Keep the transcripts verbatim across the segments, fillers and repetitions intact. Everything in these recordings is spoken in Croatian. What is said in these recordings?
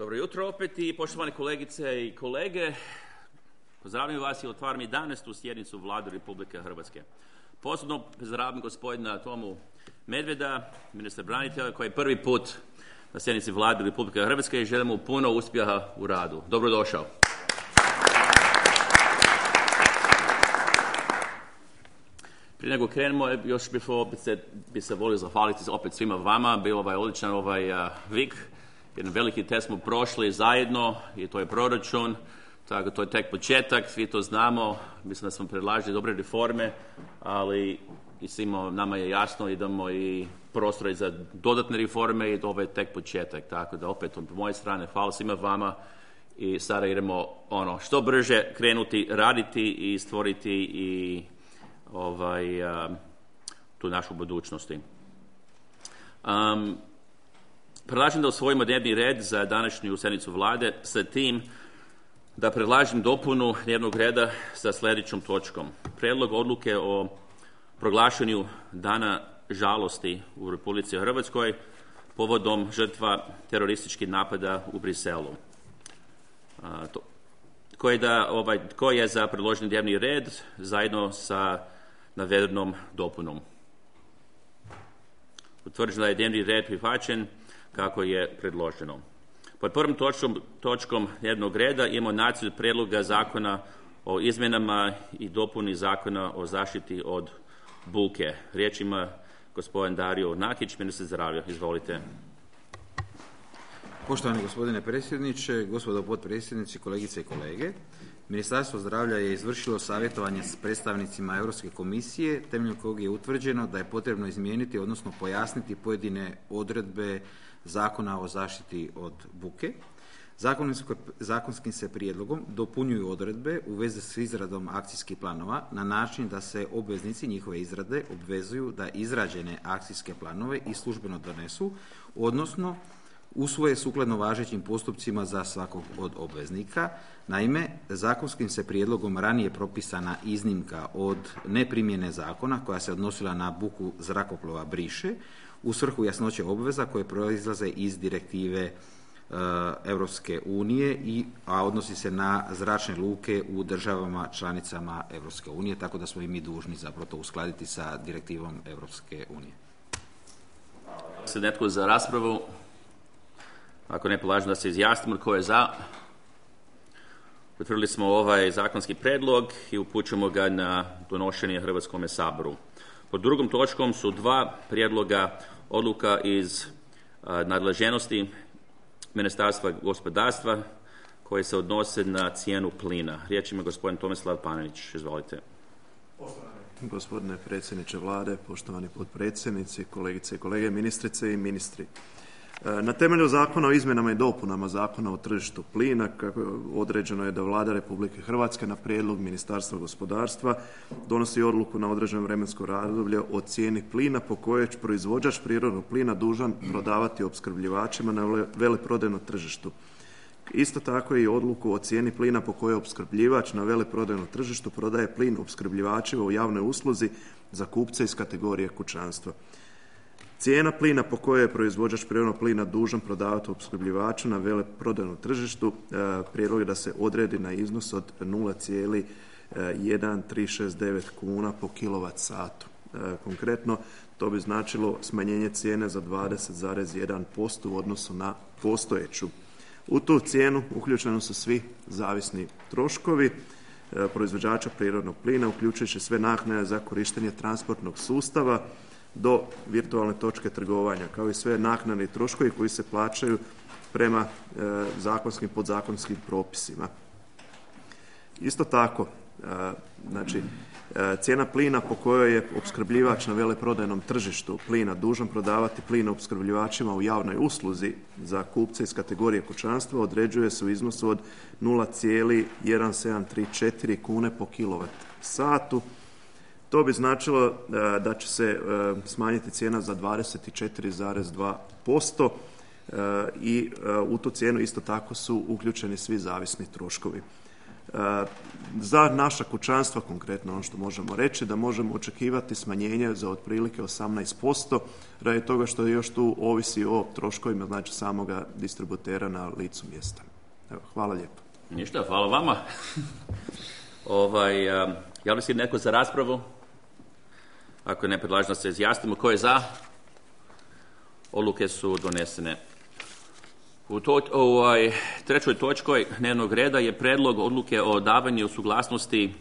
Dobro jutro opet i poštovane kolegice i kolege. Pozdravljam vas i otvaram jedanaestu sjednicu Vlade Republike Hrvatske. Posebno pozdravljam gospodina Tomu Medveda, ministra branitelja, koji je prvi put na sjednici Vlade Republike Hrvatske i želimo puno uspjeha u radu. Dobrodošao. Prije nego krenemo, još bih opet se, bi se volio zahvaliti opet svima vama. Bilo ovaj odličan ovaj uh, vik. Jedan veliki test smo prošli zajedno i to je proračun. Tako to je tek početak, svi to znamo. Mislim da smo predlažili dobre reforme, ali i svima nama je jasno idemo i prostor za dodatne reforme i ovo je tek početak. Tako da opet od moje strane hvala svima vama i sada idemo ono što brže krenuti raditi i stvoriti i ovaj, uh, tu našu budućnosti. Um, predlažem da usvojimo dnevni red za današnju sjednicu Vlade sa tim da predlažem dopunu dnevnog reda sa sljedećom točkom. Prijedlog odluke o proglašenju dana žalosti u Republici Hrvatskoj povodom žrtva terorističkih napada u Briselu. A, to, koji, da, ovaj, koji je za predloženi dnevni red zajedno sa navedenom dopunom. Utvrđeno da je dnevni red prihvaćen kako je predloženo. Pod prvom točkom, točkom dnevnog reda imamo nacrt prijedloga zakona o izmjenama i dopuni zakona o zaštiti od buke. Riječ ima gospodin Dario Nakić, ministar zdravlja. Izvolite. Poštovani gospodine predsjedniče, gospodo potpredsjednici, kolegice i kolege. Ministarstvo zdravlja je izvršilo savjetovanje s predstavnicima Europske komisije, temeljem kojeg je utvrđeno da je potrebno izmijeniti, odnosno pojasniti pojedine odredbe Zakona o zaštiti od buke. Zakonskim se prijedlogom dopunjuju odredbe u vezi s izradom akcijskih planova na način da se obveznici njihove izrade obvezuju da izrađene akcijske planove i službeno donesu, odnosno usvoje sukladno važećim postupcima za svakog od obveznika. Naime, zakonskim se prijedlogom ranije propisana iznimka od neprimjene zakona koja se odnosila na buku zrakoplova briše u svrhu jasnoće obveza koje proizlaze iz direktive e, Europske unije, i, a odnosi se na zračne luke u državama članicama Europske unije, tako da smo i mi dužni zapravo to uskladiti sa direktivom Europske unije. Se netko za raspravu? Ako ne, predlažem da se izjasnimo tko je za. Potvrdili smo ovaj zakonski predlog i upućujemo ga na donošenje Hrvatskome saboru. Pod drugom točkom su dva prijedloga odluka iz a, nadležnosti Ministarstva gospodarstva koje se odnose na cijenu plina. Riječ ima gospodin Tomislav Panenić. Izvolite. Poštovani gospodine predsjedniče Vlade, poštovani potpredsjednici, kolegice i kolege, ministrice i ministri. Na temelju Zakona o izmjenama i dopunama Zakona o tržištu plina, kako određeno je da Vlada Republike Hrvatske na prijedlog Ministarstva gospodarstva donosi odluku na određeno vremensko razdoblje o cijeni plina po kojoj je proizvođač prirodnog plina dužan prodavati opskrbljivačima na veleprodajnom tržištu. Isto tako i odluku o cijeni plina po kojoj opskrbljivač na veleprodajnom tržištu prodaje plin opskrbljivačima u javnoj usluzi za kupce iz kategorije kućanstva. Cijena plina po kojoj je proizvođač prirodnog plina dužan prodavati opskrbljivaču na veleprodajnom tržištu, prijedlog je da se odredi na iznos od nula zarez jedan tri šest devet kuna po kilovat satu. Konkretno, to bi značilo smanjenje cijene za dvadeset zarez jedan posto u odnosu na postojeću. U tu cijenu uključeni su svi zavisni troškovi proizvođača prirodnog plina, uključujući sve naknade za korištenje transportnog sustava do virtualne točke trgovanja, kao i sve naknadni troškovi koji se plaćaju prema e, zakonskim podzakonskim propisima. Isto tako, e, znači, e, cijena plina po kojoj je opskrbljivač na veleprodajnom tržištu plina dužan prodavati plin opskrbljivačima u javnoj usluzi za kupce iz kategorije kućanstva određuje se u iznosu od nula zarez jedan sedam tri četiri kune po kilovat satu. To bi značilo da će se smanjiti cijena za dvadeset četiri zarez dva posto i u tu cijenu isto tako su uključeni svi zavisni troškovi. Za naša kućanstva, konkretno ono što možemo reći, da možemo očekivati smanjenje za otprilike osamnaest posto, radi toga što još tu ovisi o troškovima, znači samoga distributera na licu mjesta. Evo, hvala lijepo. Ništa, hvala vama. ovaj, javlja se neko za raspravu? Ako ne, predlažem da se izjasnimo. Ko je za? Odluke su donesene. U to, ovaj, trećoj točkoj dnevnog reda je predlog odluke o davanju suglasnosti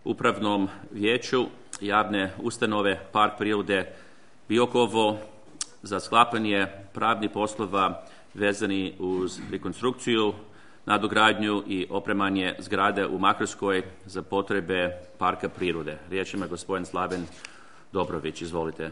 Upravnom vijeću javne ustanove Park prirode Biokovo za sklapanje pravnih poslova vezani uz rekonstrukciju, nadogradnju i opremanje zgrade u Makarskoj za potrebe Parka prirode. Riječ ima gospodin Slaven Dobrović. Izvolite.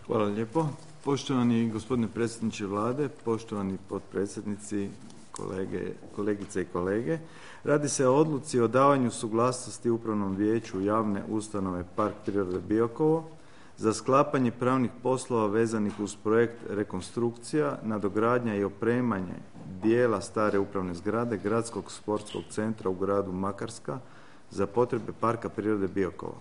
Hvala lijepo. Poštovani gospodine predsjedniče Vlade, poštovani potpredsjednici, kolege, kolegice i kolege. Radi se o odluci o davanju suglasnosti Upravnom vijeću javne ustanove Park prirode Biokovo za sklapanje pravnih poslova vezanih uz projekt rekonstrukcija, nadogradnja i opremanje dijela stare upravne zgrade Gradskog sportskog centra u gradu Makarska za potrebe Parka prirode Biokovo.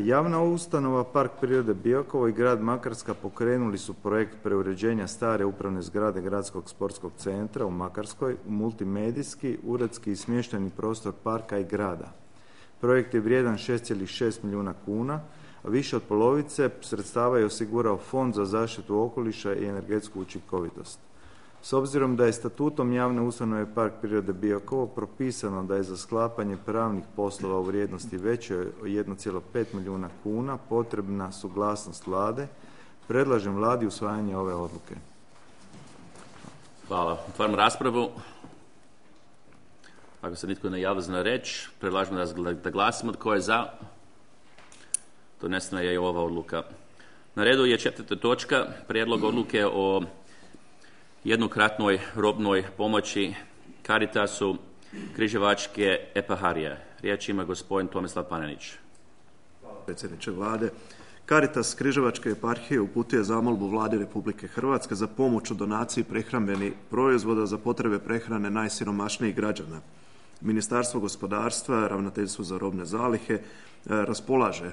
Javna ustanova Park prirode Biokovo i grad Makarska pokrenuli su projekt preuređenja stare upravne zgrade Gradskog sportskog centra u Makarskoj u multimedijski, uredski i smještajni prostor parka i grada. Projekt je vrijedan šest zarez šest milijuna kuna, a više od polovice sredstava je osigurao Fond za zaštitu okoliša i energetsku učinkovitost. S obzirom da je statutom javne ustanove Park prirode Biokovo propisano da je za sklapanje pravnih poslova u vrijednosti većoj od jedan zarez pet milijuna kuna potrebna suglasnost Vlade, predlažem Vladi usvajanje ove odluke. Hvala. Otvaram raspravu. Ako se nitko ne javlja za reč, predlažem da glasimo. Tko je za? Donesena je i ova odluka. Na redu je četvrta točka, prijedlog odluke o jednokratnoj robnoj pomoći Caritasu Križevačke eparhije. Riječ ima gospodin Tomislav Panenić. Predsjedniče Vlade, Caritas Križevačke eparhije uputio zamolbu Vladi Republike Hrvatske za pomoć u donaciji prehrambenih proizvoda za potrebe prehrane najsiromašnijih građana. Ministarstvo gospodarstva, Ravnateljstvo za robne zalihe raspolaže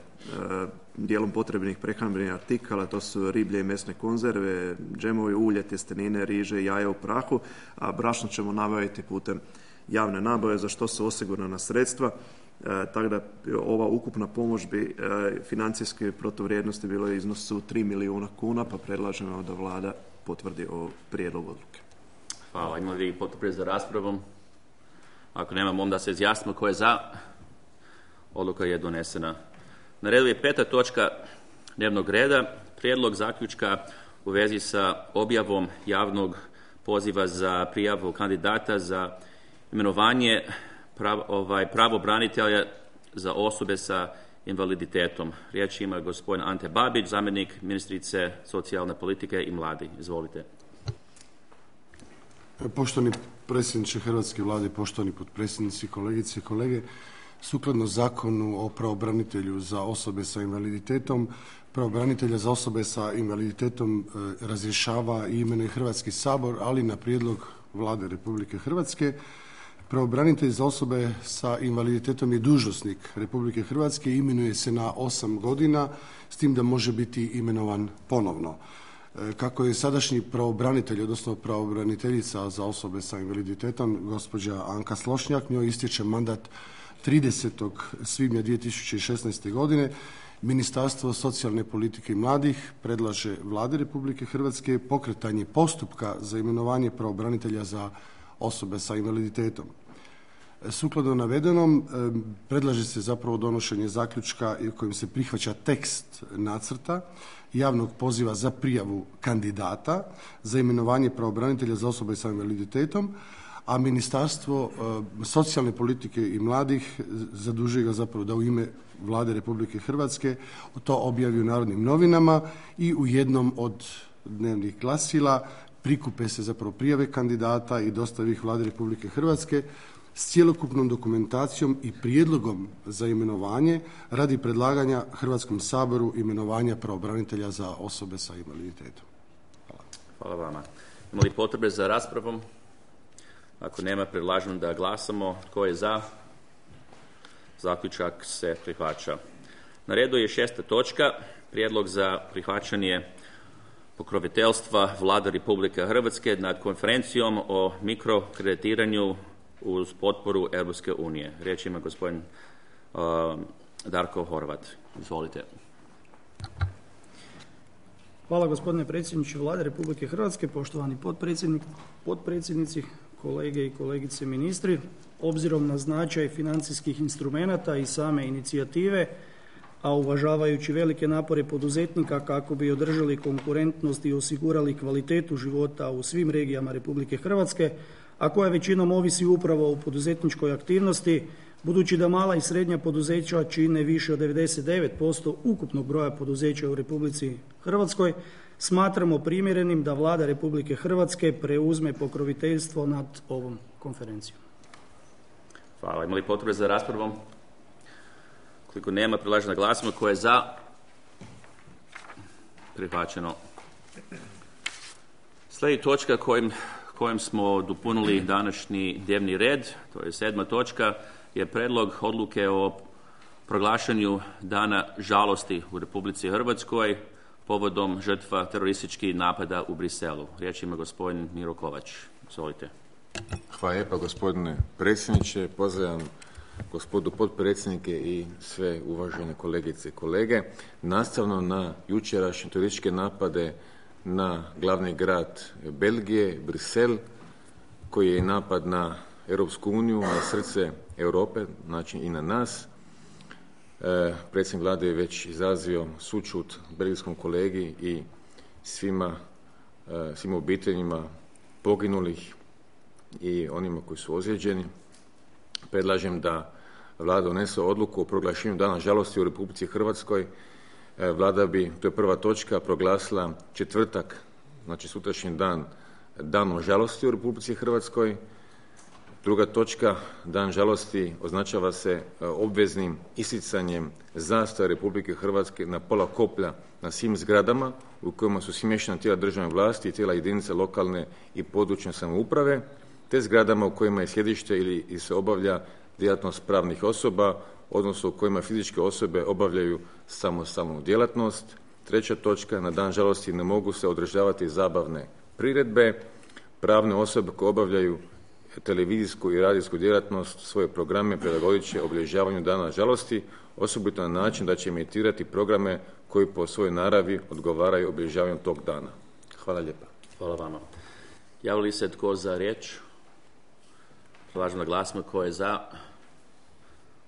dijelom potrebnih prehrambenih artikala, to su riblje i mesne konzerve, džemovi, ulje, tjestenine, riže, jaja u prahu, a brašno ćemo nabaviti putem javne nabave za što su osigurana sredstva, tako da ova ukupna pomoć bi financijske protuvrijednosti bilo u iznosu tri milijuna kuna, pa predlažemo da Vlada potvrdi o prijedlogu odluke. Hvala. Ima li potrebe za raspravom? Ako nemamo, onda se izjasnimo ko je za. Odluka je donesena. Na redu je peta točka dnevnog reda, prijedlog zaključka u vezi sa objavom javnog poziva za prijavu kandidata za imenovanje prav, ovaj, pravobranitelja za osobe sa invaliditetom. Riječ ima gospodin Ante Babić, zamjenik ministrice socijalne politike i mladi. Izvolite. Poštovani predsjedniče Hrvatske Vlade, poštovani potpredsjednici, kolegice i kolege, sukladno Zakonu o pravobranitelju za osobe sa invaliditetom, pravobranitelja za osobe sa invaliditetom razrješava i imenuje Hrvatski sabor, ali na prijedlog Vlade Republike Hrvatske. Pravobranitelj za osobe sa invaliditetom je dužnosnik Republike Hrvatske i imenuje se na osam godina, s tim da može biti imenovan ponovno. Kako je sadašnji pravobranitelj, odnosno pravobraniteljica za osobe sa invaliditetom, gospođa Anka Slošnjak, njoj istječe mandat tridesetog svibnja dvije tisuće šesnaeste. godine, Ministarstvo socijalne politike i mladih predlaže Vladi Republike Hrvatske pokretanje postupka za imenovanje pravobranitelja za osobe sa invaliditetom. Sukladno navedenom, predlaže se zapravo donošenje zaključka kojim se prihvaća tekst nacrta javnog poziva za prijavu kandidata za imenovanje pravobranitelja za osobe sa invaliditetom, a Ministarstvo socijalne politike i mladih zadužuje ga zapravo da u ime Vlade Republike Hrvatske to objavi u Narodnim novinama i u jednom od dnevnih glasila prikupe se zapravo prijave kandidata i dostavi ih Vladi Republike Hrvatske s cjelokupnom dokumentacijom i prijedlogom za imenovanje radi predlaganja Hrvatskom saboru imenovanja pravobranitelja za osobe sa invaliditetom. Hvala. Hvala vama. Ima li potrebe za raspravom? Ako nema, predlažem da glasamo. Tko je za? Zaključak se prihvaća. Na redu je šesta točka, prijedlog za prihvaćanje pokroviteljstva Vlade Republike Hrvatske nad konferencijom o mikrokreditiranju uz potporu Europske unije. Riječ ima gospodin uh, Darko Horvat. Izvolite. Hvala gospodine predsjedniče Vlade Republike Hrvatske, poštovani potpredsjednik, potpredsjednici, kolege i kolegice ministri. Obzirom na značaj financijskih instrumenata i same inicijative, a uvažavajući velike napore poduzetnika kako bi održali konkurentnost i osigurali kvalitetu života u svim regijama Republike Hrvatske, a koja većinom ovisi upravo o poduzetničkoj aktivnosti, budući da mala i srednja poduzeća čine više od devedeset devet posto ukupnog broja poduzeća u Republici Hrvatskoj, smatramo primjerenim da Vlada Republike Hrvatske preuzme pokroviteljstvo nad ovom konferencijom. Hvala. Ima li potrebe za raspravom? Koliko nema, predlažem da glasimo. Tko je za? Prihvaćeno. Slijedi točka kojim, kojim smo dopunili današnji dnevni red, to je sedma točka, je predlog odluke o proglašenju dana žalosti u Republici Hrvatskoj povodom žrtva terorističkih napada u Briselu. Riječ ima gospodin Miro Kovač. Izvolite. Hvala lijepa gospodine predsjedniče. Pozdravljam gospodu potpredsjednike i sve uvažene kolegice i kolege. Nastavno na jučerašnje terorističke napade na glavni grad Belgije, Brisel, koji je napad na Europsku uniju, na srce Europe, znači i na nas. E, predsjednik vlade je već izrazio sućut belgijskom kolegi i svima, e, svim obiteljima poginulih i onima koji su ozlijeđeni. Predlažem da Vlada donese odluku o proglašenju dana žalosti u Republici Hrvatskoj. E, Vlada bi, to je prva točka, proglasila četvrtak, znači sutrašnji dan, danom žalosti u Republici Hrvatskoj. Druga točka, dan žalosti označava se obveznim isticanjem zastave Republike Hrvatske na pola koplja na svim zgradama u kojima su smještena tijela državne vlasti i tijela jedinice lokalne i područne samouprave, te zgradama u kojima je sjedište ili se obavlja djelatnost pravnih osoba, odnosno u kojima fizičke osobe obavljaju samostalnu djelatnost. Treća točka, na dan žalosti ne mogu se održavati zabavne priredbe. Pravne osobe koje obavljaju televizijsku i radijsku djelatnost svoje programe prilagodit će obilježavanju dana žalosti, osobito na način da će emitirati programe koji po svojoj naravi odgovaraju obilježavanju tog dana. Hvala lijepa. Hvala vama. Javili li se tko za riječ? Predlažem da glasimo. Tko je za?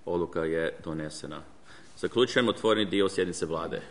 Odluka je donesena. Zaključujem otvoreni dio sjednice Vlade.